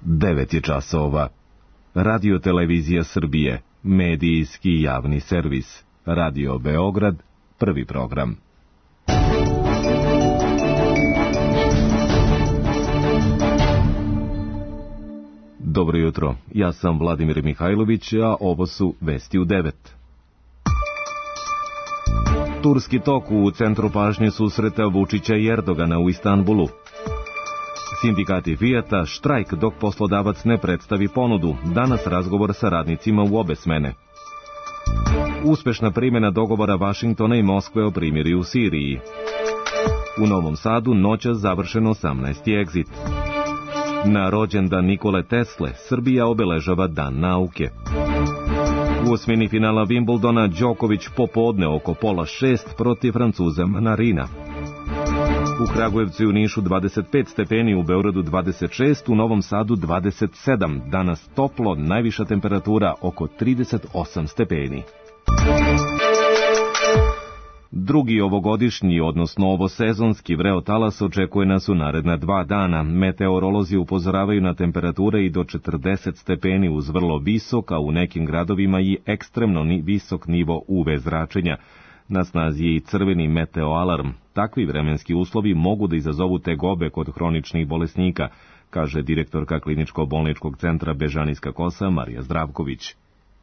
9 je časova. Radio Televizija Srbije, medijski javni servis. Radio Beograd, prvi program. Dobro jutro, ja sam Vladimir Mihajlović, a ovo su vesti u 9. Turski tok u centru pažnje susreta Vučića i Erdogana u Istanbulu. Sindikati Fijata, štrajk dok poslodavac ne predstavi ponudu. Danas razgovor sa radnicima u obe smene. Uspešna primjena dogovora Vašingtona i Moskve o primirju u Siriji. U Novom Sadu noćas završen 18. egzit. Na rođendan Nikole Tesle Srbija obeležava Dan nauke. U osmini finala Wimbledona Đoković popodne oko 5:30 protiv Francuza Manarina. U Kragujevcu i u Nišu 25 stepeni, u Beogradu 26, u Novom Sadu 27. Danas toplo, najviša temperatura oko 38 stepeni. Drugi ovogodišnji, odnosno ovosezonski vreo talas očekuje nas u naredna 2 dana. Meteorolozi upozoravaju na temperature i do 40 stepeni uz vrlo visok, a u nekim gradovima i ekstremno visok nivo UV zračenja. Na snazi je i crveni meteoalarm. Takvi vremenski uslovi mogu da izazovu tegobe kod hroničnih bolesnika, kaže direktorka kliničko-bolničkog centra Bežanijska Kosa Marija Zdravković.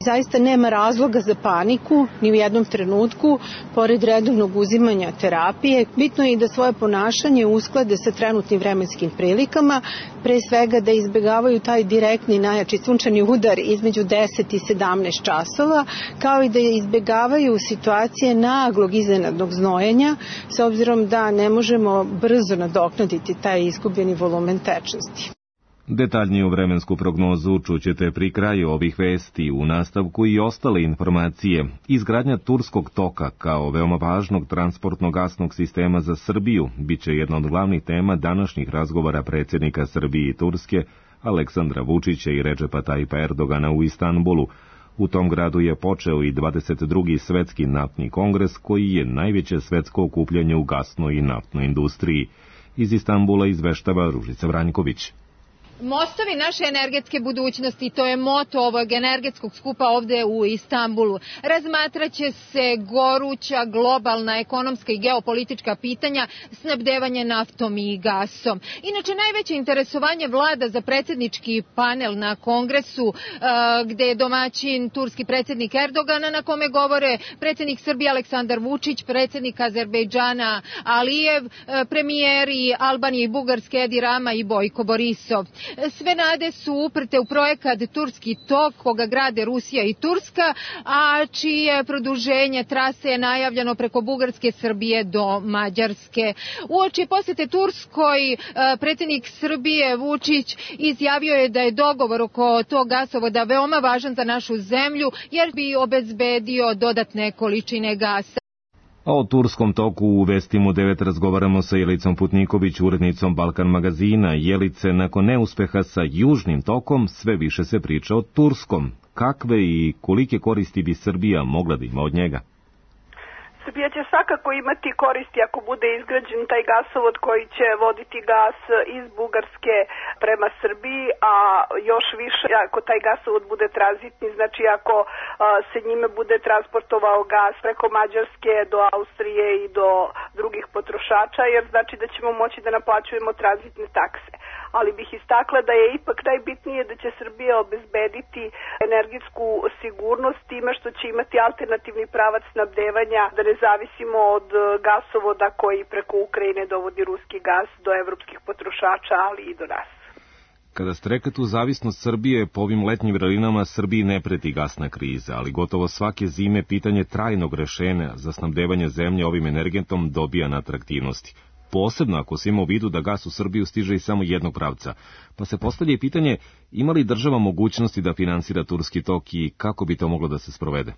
Zaista nema razloga za paniku ni u jednom trenutku, pored redovnog uzimanja terapije. Bitno je i da svoje ponašanje usklade sa trenutnim vremenskim prilikama, pre svega da izbegavaju taj direktni najjači sunčani udar između 10 i 17 časova, kao i da izbegavaju situacije naglog iznenadnog znojenja, s obzirom da ne možemo brzo nadoknaditi taj izgubljeni volumen tečnosti. Detaljniju vremensku prognozu čućete pri kraju ovih vesti, u nastavku i ostale informacije. Izgradnja Turskog toka kao veoma važnog transportnog gasnog sistema za Srbiju biće jedna od glavnih tema današnjih razgovora predsjednika Srbije i Turske, Aleksandra Vučića i Redžepa Tajipa Erdogana u Istanbulu. U tom gradu je počeo i 22. svetski naftni kongres, koji je najveće svetsko okupljanje u gasnoj i naftnoj industriji. Iz Istanbula izveštava Ružica Vranjković. Mostovi naše energetske budućnosti, to je moto ovog energetskog skupa ovde u Istanbulu. Razmatraće se goruća globalna ekonomska i geopolitička pitanja, snabdevanje naftom i gasom. Inače, najveće interesovanje vlada za predsjednički panel na kongresu, gde je domaćin turski predsjednik Erdogana, na kome govore predsjednik Srbije Aleksandar Vučić, predsjednik Azerbejdžana Alijev, premijeri Albanije i Bugarske Edi Rama i Bojko Borisov. Sve nade su uprte u projekat Turski tok, koga grade Rusija i Turska, a čije produženje trase je najavljeno preko Bugarske, Srbije do Mađarske. Uoči posjete Turskoj, predsjednik Srbije Vučić izjavio je da je dogovor oko tog gasovoda veoma važan za našu zemlju, jer bi obezbedio dodatne količine gasa. A o Turskom toku u vestima u 9 razgovaramo sa Jelicom Putniković, urednicom Balkan magazina. Jelice, nakon neuspeha sa Južnim tokom, sve više se priča o Turskom. Kakve i kolike koristi bi Srbija mogla da ima od njega? Srbija će svakako imati koristi ako bude izgrađen taj gasovod koji će voditi gas iz Bugarske prema Srbiji, a još više ako taj gasovod bude tranzitni, znači ako se njime bude transportovao gas preko Mađarske do Austrije i do drugih potrošača, jer znači da ćemo moći da naplaćujemo tranzitne takse. Ali bih istakla da je ipak najbitnije da će Srbija obezbediti energetsku sigurnost time što će imati alternativni pravac snabdevanja, da ne zavisimo od gasovoda koji preko Ukrajine dovodi ruski gas do evropskih potrošača, ali i do nas. Kada ste rekli tu zavisnost Srbije, po ovim letnjim vrelinama Srbiji ne preti gasna kriza, ali gotovo svake zime pitanje trajnog rešenja za snabdevanje zemlje ovim energentom dobija na atraktivnosti. Posebno ako se ima u vidu da gas u Srbiju stiže iz samo jednog pravca. Pa se postavlja i pitanje, ima li država mogućnosti da finansira Turski tok i kako bi to moglo da se sprovede?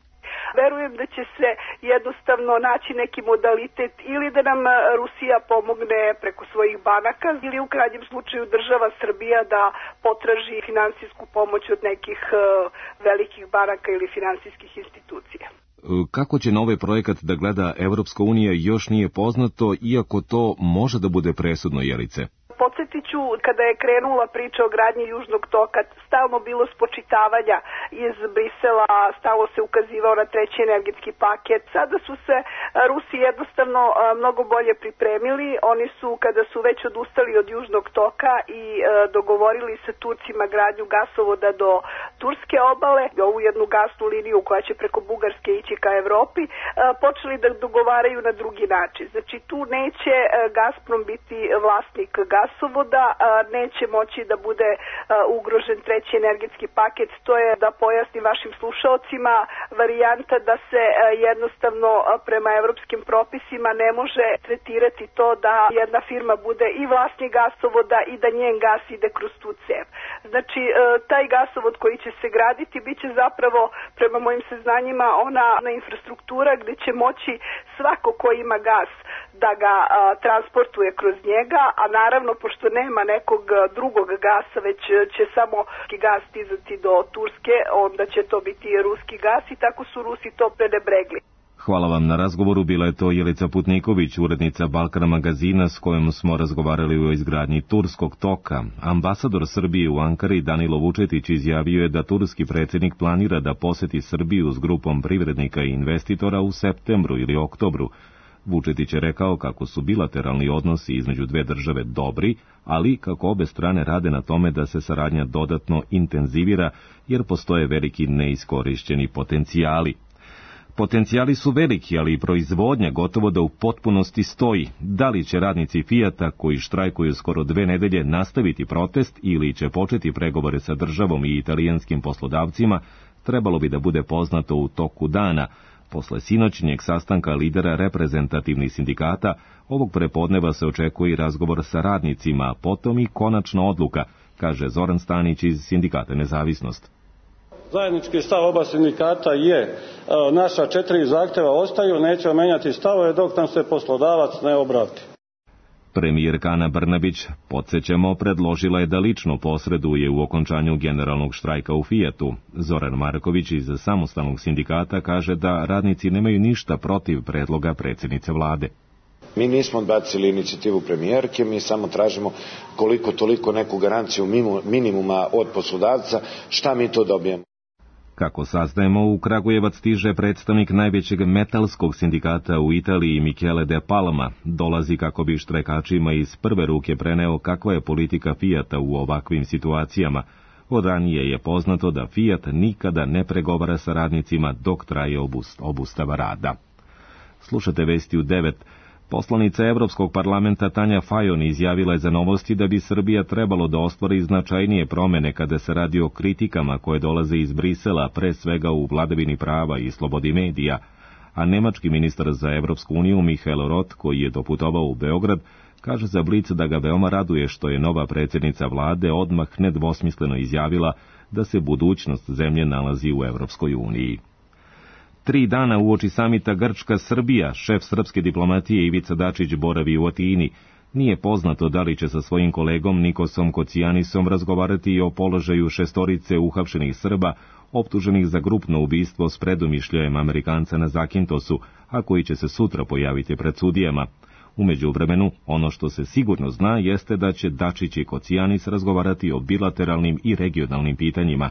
Verujem da će se jednostavno naći neki modalitet ili da nam Rusija pomogne preko svojih banaka ili u krajnjem slučaju država Srbija da potraži finansijsku pomoć od nekih velikih banaka ili finansijskih institucija. Kako će na ovaj projekat da gleda Evropska unija još nije poznato, iako to može da bude presudno, Jelice. Podsjetit ću kada je krenula priča o gradnji Južnog toka, stalno bilo spočitavanja iz Brisela, stalno se ukazivao na treći energetski paket. Sada su se Rusi jednostavno mnogo bolje pripremili. Oni su, kada su već odustali od Južnog toka i dogovorili sa Turcima gradnju gasovoda do Turske obale, ovu jednu gasnu liniju koja će preko Bugarske ići ka Evropi, počeli da dogovaraju na drugi način. Znači tu neće Gazprom biti vlasnik gasovoda, neće moći da bude ugrožen treći energetski paket. To je, da pojasnim vašim slušaocima, varijanta da se jednostavno prema evropskim propisima ne može tretirati to da jedna firma bude i vlasnik gasovoda i da njen gas ide kroz tu cev. Znači taj gasovod koji će se graditi biće zapravo, prema mojim saznanjima, ona infrastruktura gdje će moći svako ko ima gas da ga transportuje kroz njega, a naravno pošto nema nekog drugog gasa, već će samo gas stizati do Turske, onda će to biti ruski gas i tako su Rusi to prenebregli. Hvala vam na razgovoru, bila je to Jelica Putniković, urednica Balkan magazina s kojom smo razgovarali o izgradnji Turskog toka. Ambasador Srbije u Ankari Danilo Vučetić izjavio je da turski predsjednik planira da poseti Srbiju s grupom privrednika i investitora u septembru ili oktobru. Vučetić je rekao kako su bilateralni odnosi između dve države dobri, ali kako obe strane rade na tome da se saradnja dodatno intenzivira jer postoje veliki neiskorišćeni potencijali. Potencijali su veliki, ali i proizvodnja gotovo da u potpunosti stoji. Da li će radnici Fijata, koji štrajkuju skoro 2 nedelje, nastaviti protest ili će početi pregovore sa državom i italijanskim poslodavcima, trebalo bi da bude poznato u toku dana. Posle sinoćnjeg sastanka lidera reprezentativnih sindikata, ovog prepodneva se očekuje i razgovor sa radnicima, a potom i konačna odluka, kaže Zoran Stanić iz Sindikata Nezavisnost. Zajednički stav oba sindikata je, naša 4 zahtjeva ostaju, nećemo menjati stavove dok nam se poslodavac ne obrati. Premijerka Ana Brnabić, podsjećamo, predložila je da lično posreduje u okončanju generalnog štrajka u Fijatu. Zoran Marković iz Samostalnog sindikata kaže da radnici nemaju ništa protiv predloga predsjednice vlade. Mi nismo odbacili inicijativu premijerke, mi samo tražimo koliko toliko neku garanciju minimuma od poslodavca, šta mi to dobijemo. Kako saznajemo, u Kragujevac stiže predstavnik najvećeg metalskog sindikata u Italiji, Michele De Palma. Dolazi kako bi štrajkačima iz prve ruke preneo kakva je politika Fijata u ovakvim situacijama. Od ranije je poznato da Fijat nikada ne pregovara sa radnicima dok traje obustava rada. Slušate vesti u 9. Poslanica Evropskog parlamenta Tanja Fajon izjavila je za Novosti da bi Srbija trebalo da ostvari značajnije promene kada se radi o kritikama koje dolaze iz Brisela, pre svega u vladavini prava i slobodi medija, a nemački ministar za Evropsku uniju Michael Roth, koji je doputovao u Beograd, kaže za Blic da ga veoma raduje što je nova predsjednica vlade odmah nedvosmisleno izjavila da se budućnost zemlje nalazi u Evropskoj uniji. 3 dana uoči samita Grčka-Srbija, šef srpske diplomatije Ivica Dačić boravi u Atini. Nije poznato da li će sa svojim kolegom Nikosom Kocijanisom razgovarati i o položaju 6 uhapšenih Srba, optuženih za grupno ubistvo s predomišljajem Amerikanca na Zakintosu, a koji će se sutra pojaviti pred sudijama. U međuvremenu, ono što se sigurno zna jeste da će Dačić i Kocijanis razgovarati o bilateralnim i regionalnim pitanjima.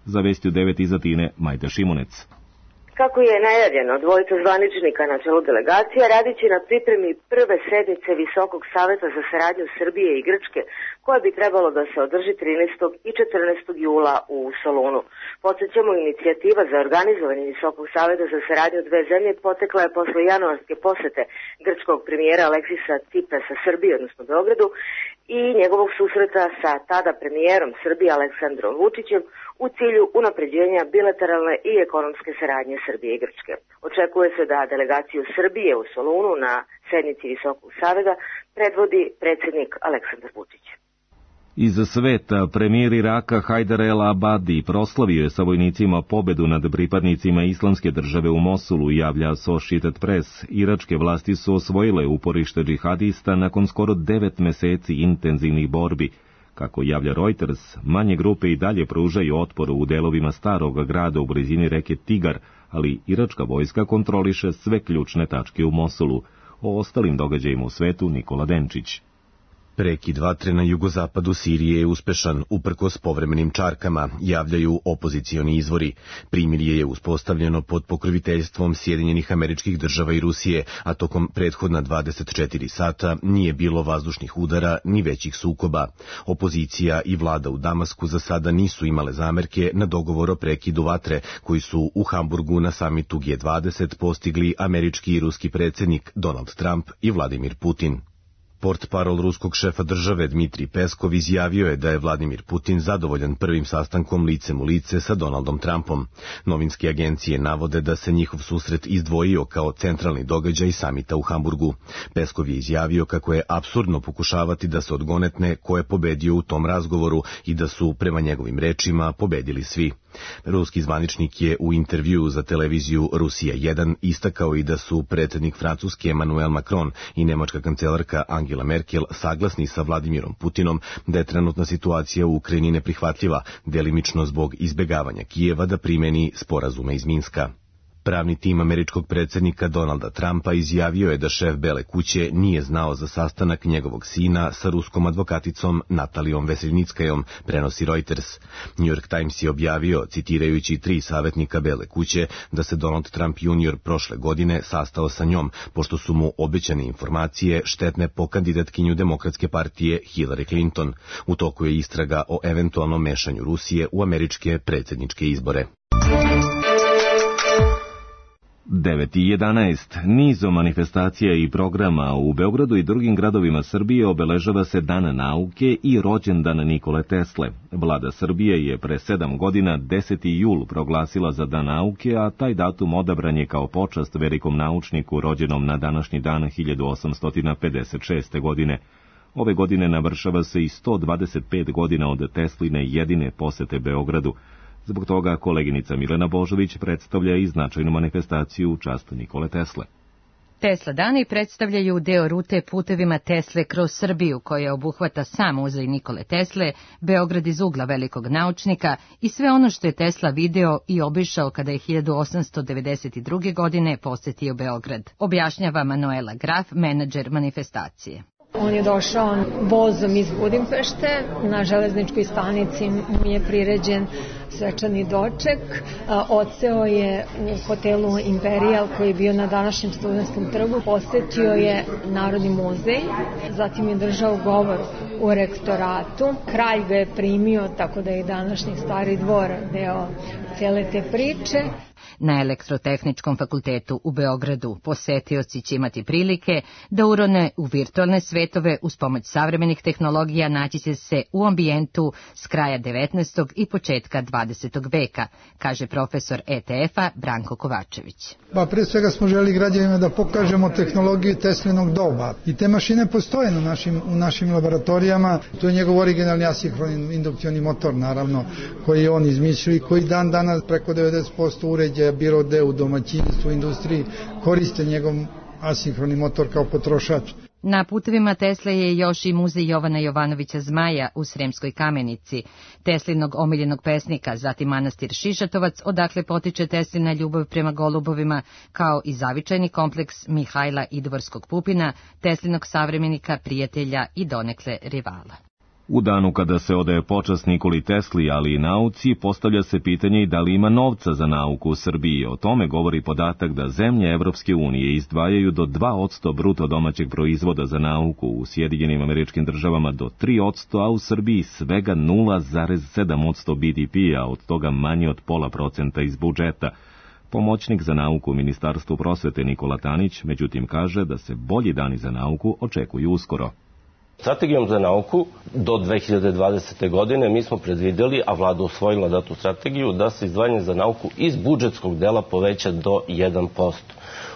Za vesti u 9 iz Atine, Majda Šimunec. Kako je najavljeno, 2 zvaničnika na čelu delegacija radit će na pripremi prve sednice Visokog saveta za saradnju Srbije i Grčke, koja bi trebalo da se održi 13. i 14. jula u Solunu. Podsjećamo, inicijativa za organizovanje Visokog saveta za saradnju dve zemlje potekla je posle januarske posete grčkog premijera Aleksisa Tsiprasa Srbije, odnosno Beogradu, i njegovog susreta sa tada premijerom Srbije Aleksandrom Vučićem u cilju unapređenja bilateralne i ekonomske saradnje Srbije i Grčke. Očekuje se da delegaciju Srbije u Solunu na sednici Visokog saveta predvodi predsjednik Aleksandar Vučić. Iz sveta, premijer Iraka Hajdar el-Abadi proslavio je sa vojnicima pobedu nad pripadnicima Islamske države u Mosulu, javlja Associated Press. Iračke vlasti su osvojile uporište džihadista nakon skoro 9 meseci intenzivnih borbi. Kako javlja Reuters, manje grupe i dalje pružaju otpor u delovima starog grada u blizini reke Tigar, ali iračka vojska kontroliše sve ključne tačke u Mosulu. O ostalim događajima u svetu Nikola Denčić. Prekid vatre na jugozapadu Sirije je uspešan, uprkos povremenim čarkama, javljaju opozicioni izvori. Primirje je uspostavljeno pod pokroviteljstvom Sjedinjenih Američkih Država i Rusije, a tokom prethodna 24 sata nije bilo vazdušnih udara ni većih sukoba. Opozicija i vlada u Damasku za sada nisu imale zamerke na dogovor o prekidu vatre, koji su u Hamburgu na samitu G20 postigli američki i ruski predsjednik Donald Trump i Vladimir Putin. Portparol ruskog šefa države Dmitrij Peskov izjavio je da je Vladimir Putin zadovoljan prvim sastankom licem u lice sa Donaldom Trumpom. Novinske agencije navode da se njihov susret izdvojio kao centralni događaj samita u Hamburgu. Peskov je izjavio kako je apsurdno pokušavati da se odgonetne ko je pobedio u tom razgovoru i da su, prema njegovim rečima, pobedili svi. Ruski zvaničnik je u intervjuu za televiziju Rusija 1 istakao i da su predsjednik Francuske Emmanuel Macron i nemačka kancelarka Angela Merkel saglasni sa Vladimirom Putinom da je trenutna situacija u Ukrajini neprihvatljiva, delimično zbog izbegavanja Kijeva da primeni sporazume iz Minska. Pravni tim američkog predsjednika Donalda Trumpa izjavio je da šef Bele kuće nije znao za sastanak njegovog sina sa ruskom advokaticom Natalijom Veselnickajom, prenosi Reuters. New York Times je objavio, citirajući 3 savjetnika Bele kuće, da se Donald Trump junior prošle godine sastao sa njom, pošto su mu obećane informacije štetne po kandidatkinju Demokratske partije Hillary Clinton. U toku je istraga o eventualnom mešanju Rusije u američke predsjedničke izbore. 9:11. Nizom manifestacija i programa u Beogradu i drugim gradovima Srbije obeležava se Dan nauke i rođendan Nikole Tesle. Vlada Srbije je pre 7 godina 10. jul proglasila za Dan nauke, a taj datum odabran je kao počast velikom naučniku rođenom na današnji dan 1856. godine. Ove godine navršava se i 125 godina od Tesline jedine posete Beogradu. Zbog toga koleginica Milena Božović predstavlja i značajnu manifestaciju u čast Nikole Tesle. Tesla dani predstavljaju deo rute putevima Tesle kroz Srbiju, koja obuhvata sam muzej Nikole Tesle, Beograd iz ugla velikog naučnika i sve ono što je Tesla video i obišao kada je 1892. godine posetio Beograd, objašnjava Manuela Graf, menadžer manifestacije. On je došao vozom iz Budimpešte, na železničkoj stanici mu je priređen svečani doček, odseo je u hotelu Imperial koji je bio na današnjem Studentskom trgu, posetio je Narodni muzej, zatim je držao govor u rektoratu, kralj ga je primio, tako da je današnji Stari dvor deo cele te priče. Na Elektrotehničkom fakultetu u Beogradu posetioci će imati prilike da urone u virtualne svetove uz pomoć savremenih tehnologija, naći će se u ambijentu s kraja 19. i početka 20. veka, kaže profesor ETF-a Branko Kovačević. Pre svega smo želi građanima da pokažemo tehnologiju Teslinog doba i te mašine postoje u našim laboratorijama. To je njegov originalni asinhroni indukcioni motor, naravno, koji je on izmislio i koji dan danas preko 90% uređaja bilo gde u domaćinstvu, industriji, koriste njegov asinhroni motor kao potrošač. Na putevima Tesle je još i muzej Jovana Jovanovića Zmaja u Sremskoj Kamenici, Teslinog omiljenog pesnika, zatim manastir Šišatovac, odakle potiče Teslina ljubav prema golubovima, kao i zavičajni kompleks Mihajla Idvorskog Pupina, Teslinog savremenika, prijatelja i donekle rivala. U danu kada se odaje počast Nikoli Tesli, ali i nauci, postavlja se pitanje i da li ima novca za nauku u Srbiji. O tome govori podatak da zemlje Evropske unije izdvajaju do 2% bruto domaćeg proizvoda za nauku, u Sjedinjenim Američkim Državama do 3%, a u Srbiji svega 0,7% BDP-a, od toga manje od 0,5% iz budžeta. Pomoćnik za nauku u Ministarstvu prosvete Nikola Tanić, međutim, kaže da se bolji dani za nauku očekuju uskoro. Strategijom za nauku do 2020. godine mi smo predvideli, a vlada usvojila datu strategiju, da se izdvajanje za nauku iz budžetskog dela poveća do 1%.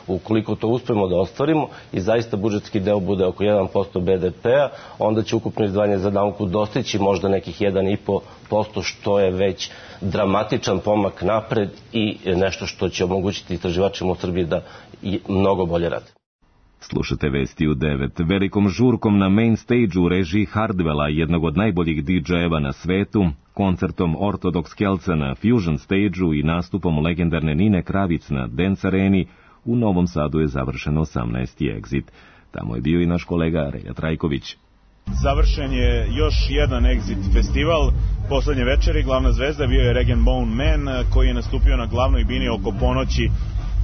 Ukoliko to uspemo da ostvarimo i zaista budžetski deo bude oko 1% BDP-a, onda će ukupno izdvajanje za nauku dostići možda nekih 1,5%, što je već dramatičan pomak napred i nešto što će omogućiti istraživačima u Srbiji da mnogo bolje rade. Slušate vesti u 9. Velikom žurkom na main stage u režiji Hardwella, jednog od najboljih DJ-eva na svetu, koncertom Orthodox Kelca na Fusion stage-u i nastupom legendarne Nine Kravic na Dance Areni, u Novom Sadu je završen 18. Exit. Tamo je bio i naš kolega Relja Trajković. Završen je još jedan Exit festival. Poslednje večeri glavna zvezda bio je Rag & Bone Man, koji je nastupio na glavnoj bini oko ponoći.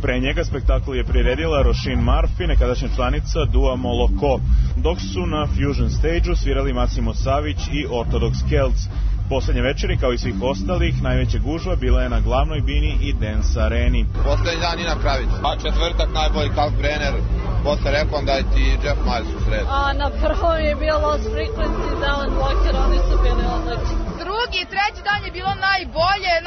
Pre njega spektakl je priredila Roisin Murphy, nekadašnja članica Dua Moloko, dok su na Fusion stage-u svirali Massimo Savić i Orthodox Celts. Poslednje večeri, kao i svih ostalih, najveća gužva bila je na glavnoj bini i Dance Areni. Poslednji dan Nina Kravić. Četvrtak najbolji Kalkbrenner, posle Recondite i Jeff Miles u sredu. Na prvom je bio Lost Frequencies, Alan Walker, oni su bili odlični. Drugi, treći dan je bilo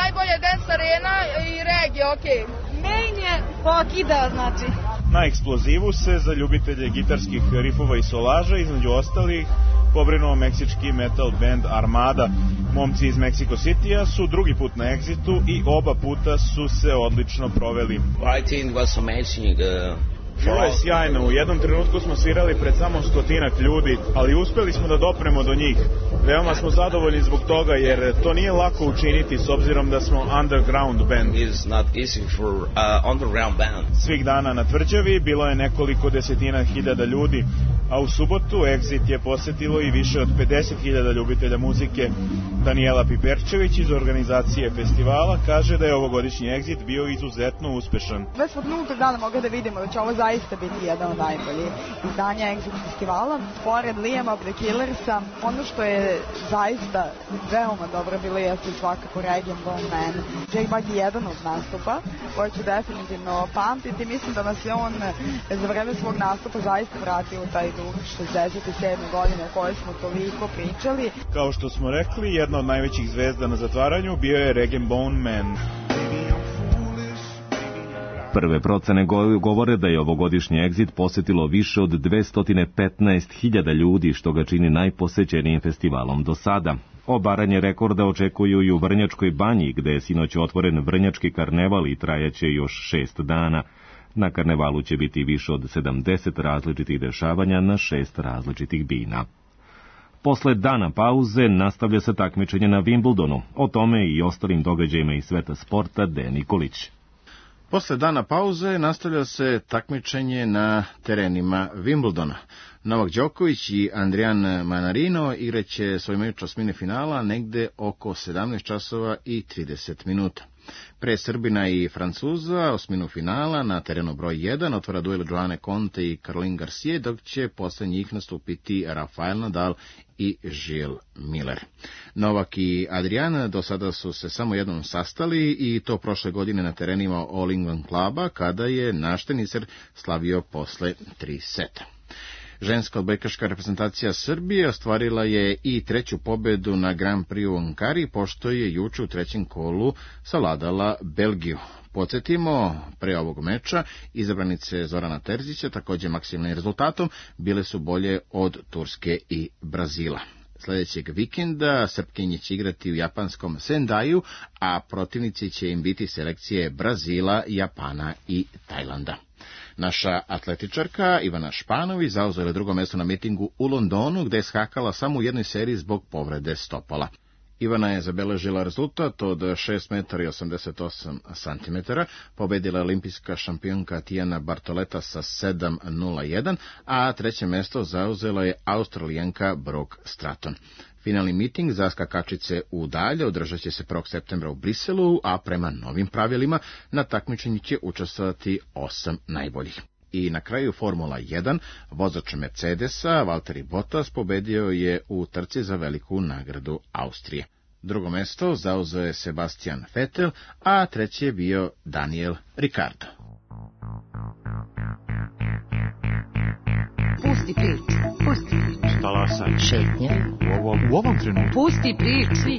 najbolje Dance Arena i reggae, okej. Main je pokida, znači. Na eksplozivu se za ljubitelje gitarskih rifova i solaža, između ostalih, pobrinuo meksički metal band Armada. Momci iz Mexico City-a su drugi put na Exitu i oba puta su se odlično proveli. I think it was amazing. Bilo je sjajno, u jednom trenutku smo svirali pred samo 100 ljudi, ali uspeli smo da dopremo do njih. Veoma smo zadovoljni zbog toga, jer to nije lako učiniti s obzirom da smo underground band. Svih dana na tvrđavi bilo je nekoliko desetina hiljada ljudi, a u subotu Exit je posetilo i više od 50.000 ljubitelja muzike. Daniela Piperčević iz organizacije festivala kaže da je ovogodišnji Exit bio izuzetno uspešan. Već od nultog dana mogu da vidimo da će ovo zaista biti jedan od najboljih izdanja Exit festivala. Pored Liama The Killersa, ono što je zaista veoma dobro bilo jeste svakako Rag & Bone Man. Jake Bugg je jedan od nastupa koji ću definitivno pamtiti. Mislim da nas je on za vreme svog nastupa zaista vratio u taj duh 67. godine o kojoj smo toliko pričali. Kao što smo rekli, jedna od najvećih zvezda na zatvaranju bio je Rag & Bone Man. Prve procene govore da je ovogodišnji Exit posetilo više od 215.000 ljudi, što ga čini najposećenijim festivalom do sada. Obaranje rekorda očekuju i u Vrnjačkoj banji, gde je sinoć otvoren Vrnjački karneval i trajaće još 6 dana. Na karnevalu će biti više od 70 različitih dešavanja na 6 različitih bina. Posle dana pauze nastavlja se takmičenje na Wimbledonu. O tome i ostalim događajima iz sveta sporta Dejan Nikolić. Posle dana pauze nastavlja se takmičenje na terenima Wimbledona. Novak Đoković i Adrian Manarino igraće svoj meč osmine finala negde oko 17 časova i 30 minuta. Pre Srbina i Francuza osminu finala na terenu broj 1 otvara duel Joane Conte i Caroline Garcia, dok će posle njih nastupiti Rafael Nadal i Gilles Miller. Novak i Adrian do sada su se samo jednom sastali i to prošle godine na terenima All England kluba, kada je naš teniser slavio posle 3 seta. Ženska odbojkaška reprezentacija Srbije ostvarila je i treću pobedu na Grand Prix u Ankari, pošto je juče u trećem kolu savladala Belgiju. Podsjetimo, pre ovog meča izabranice Zorana Terzića, također maksimalnim rezultatom, bile su bolje od Turske i Brazila. Sljedećeg vikenda Srpkinje će igrati u japanskom Sendaju, a protivnici će im biti selekcije Brazila, Japana i Tajlanda. Naša atletičarka Ivana Španović zauzela drugo mesto na mitingu u Londonu, gde je skakala samo u jednoj seriji zbog povrede stopala. Ivana je zabeležila rezultat od 6 metara i 88 centimetara, pobedila olimpijska šampionka Tijana Bartoleta sa 7:01, a treće mesto zauzela je Australijanka Brooke Stratton. Finalni miting za skakačice u dalje održat će se 1. septembra u Briselu, a prema novim pravilima na takmičenju će učestvovati 8 najboljih. I na kraju Formula 1, vozač Mercedesa, Valtteri Bottas, pobedio je u trci za veliku nagradu Austrije. Drugo mesto zauzeo je Sebastian Vettel, a treći je bio Daniel Ricciardo. Pusti priču, pusti priču. Talasaj. Šetnja. U ovom trenutku. Pusti priču.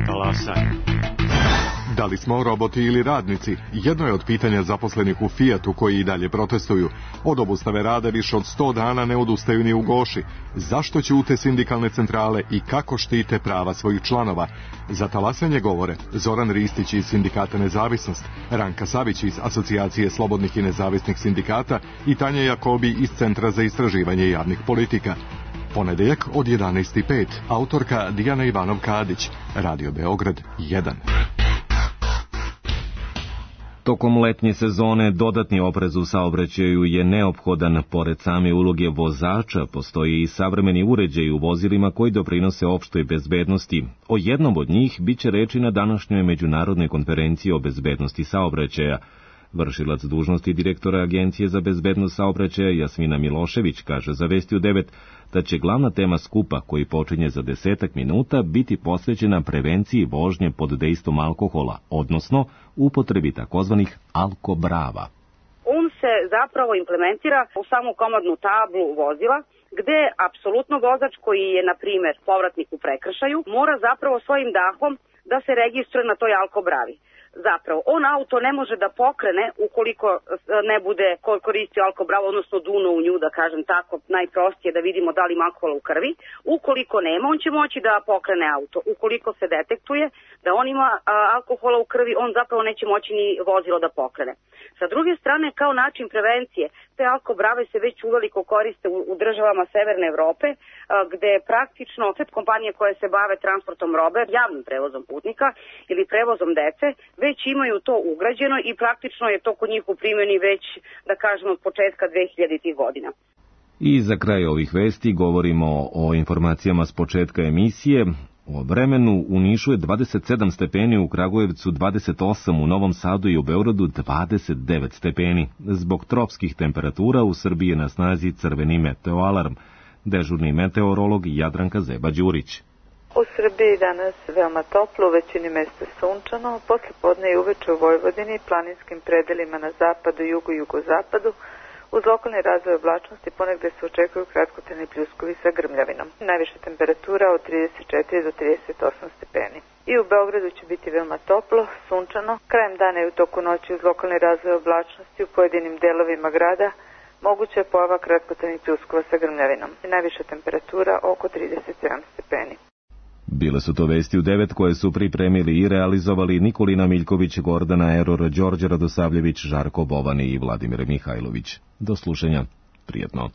Talasaj. Da li smo roboti ili radnici? Jedno je od pitanja zaposlenih u Fiatu koji i dalje protestuju. Od obustave rada više od 100 dana ne odustaju ni u Goši. Zašto ćute sindikalne centrale i kako štite prava svojih članova? Za talasanje govore Zoran Ristić iz Sindikata Nezavisnost, Ranka Savić iz Asocijacije slobodnih i nezavisnih sindikata i Tanja Jakobi iz Centra za istraživanje javnih politika. Ponedeljak od 11:05. Autorka Dijana Ivanov-Kadić. Radio Beograd 1. Tokom letnje sezone dodatni oprez u saobraćaju je neophodan. Pored same uloge vozača, postoji i savremeni uređaji u vozilima koji doprinose opštoj bezbednosti. O jednom od njih biće reči na današnjoj međunarodnoj konferenciji o bezbednosti saobraćaja. Vršilac dužnosti direktora Agencije za bezbednost saobraćaja Jasmina Milošević kaže za Vesti u 9 da će glavna tema skupa, koji počinje za 10 minuta, biti posvećena prevenciji vožnje pod dejstvom alkohola, odnosno upotrebi takozvanih alkobrava. On se zapravo implementira u samu komandnu tablu vozila, gde apsolutno vozač koji je, na primer, povratnik u prekršaju, mora zapravo svojim dahom da se registruje na toj alkobravi. Zapravo, on auto ne može da pokrene ukoliko ne bude koristio alkobravu, odnosno duno u nju, da kažem tako, najprostije da vidimo da li ima alkohola u krvi. Ukoliko nema, on će moći da pokrene auto. Ukoliko se detektuje da on ima alkohola u krvi, on zapravo neće moći ni vozilo da pokrene. Sa druge strane, kao način prevencije, te alkobrave se već uveliko koriste u državama Severne Evrope, gde praktično sve kompanije koje se bave transportom robe, javnim prevozom putnika ili prevozom dece, već imaju to ugrađeno i praktično je to kod njih u primjeni već, da kažemo, od početka 2000. godina. I za kraj ovih vesti govorimo o informacijama s početka emisije. O vremenu u Nišu je 27 stepeni, u Kragujevcu 28, u Novom Sadu i u Beogradu 29 stepeni. Zbog tropskih temperatura u Srbiji je na snazi crveni meteoalarm. Dežurni meteorolog Jadranka Zeba-Đurić. U Srbiji danas veoma toplo, u većini mesta sunčano, posle podne i uveče u Vojvodini i planinskim predelima na zapadu, jugu i jugozapadu, uz lokalni razvoj oblačnosti ponegde se očekuju kratkotrajni pljuskovi sa grmljavinom. Najviša temperatura od 34 do 38 stepeni. I u Beogradu će biti veoma toplo, sunčano. Krajem dana i u toku noći uz lokalni razvoj oblačnosti u pojedinim delovima grada moguća je pojava kratkotrajnih pljuskova sa grmljavinom. Najviša temperatura oko 37 stepeni. Bile su to Vesti u 9 koje su pripremili i realizovali Nikolina Miljković, Gordana Eror, Đorđe Radosavljević, Žarko Bovani i Vladimir Mihajlović. Do slušanja. Prijetno.